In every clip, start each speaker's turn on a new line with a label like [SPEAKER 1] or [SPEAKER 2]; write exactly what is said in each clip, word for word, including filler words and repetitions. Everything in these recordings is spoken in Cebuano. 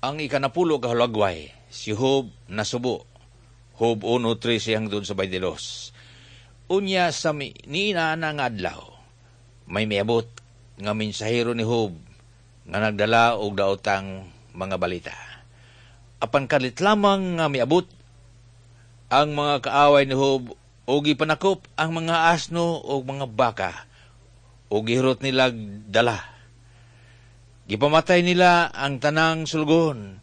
[SPEAKER 1] Ang ikanapulo ka hulagway, si Job nasubo. Job one trese hangtod sa baynte dos. Unya sa mi, niina nga adlaw, may miabot nga mensahero ni Job nga nagdala og daotang mga balita. Apan kalit lamang nga miabot ang mga kaaway ni Job og gipanakop ang mga asno ug mga baka ug gihurot nila dala. Gipamatay nila ang tanang sulgon.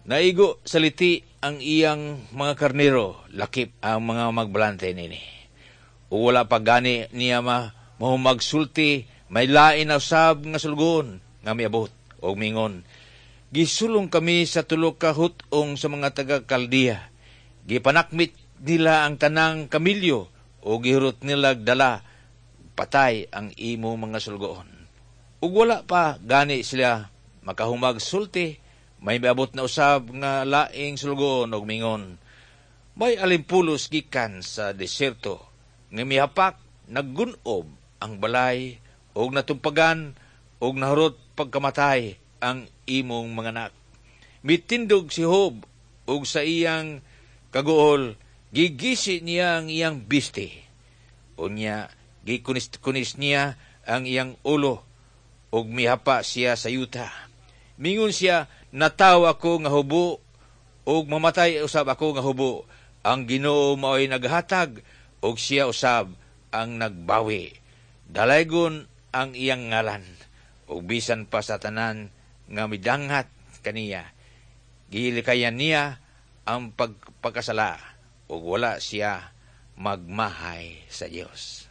[SPEAKER 1] Naigo sa liti ang iyang mga karnero, lakip ang mga magbalante nini. Ug wala pa gani niya ma mahumagsulti, may lain na usab nga sulgon nga miabot og mingon: "Gisulong kami sa tulo ka hut-ong sa mga taga Kaldea. Gipanakmit nila ang tanang kamilyo o gihurot nila dala, patay ang imo mga sulgoon." Ug wala pa gani sila makahumag sulti, may miabot na usab nga laing sulgoon og mingon: "May alimpulos gikan sa deserto nga mihapak, naggunob ang balay og natumpagan og nahurot pagkamatay ang imong mga anak." Mitindog si Job og sa iyang kaguol gigisi niya ang iyang bisti. Unya gikunis-kunis niya ang iyang ulo ug mihapa siya sa yuta. Mingon siya, "Natawo ako nga hubo ug mamatay usab ako nga hubo. Ang Ginoo mao'y naghatag ug siya usab ang nagbawi. Dalaygon ang iyang ngalan." Ug bisan pa sa tanan nga midanghat kaniya, gilikayan niya ang pagpakasala ug wala siya magmahay sa Dios.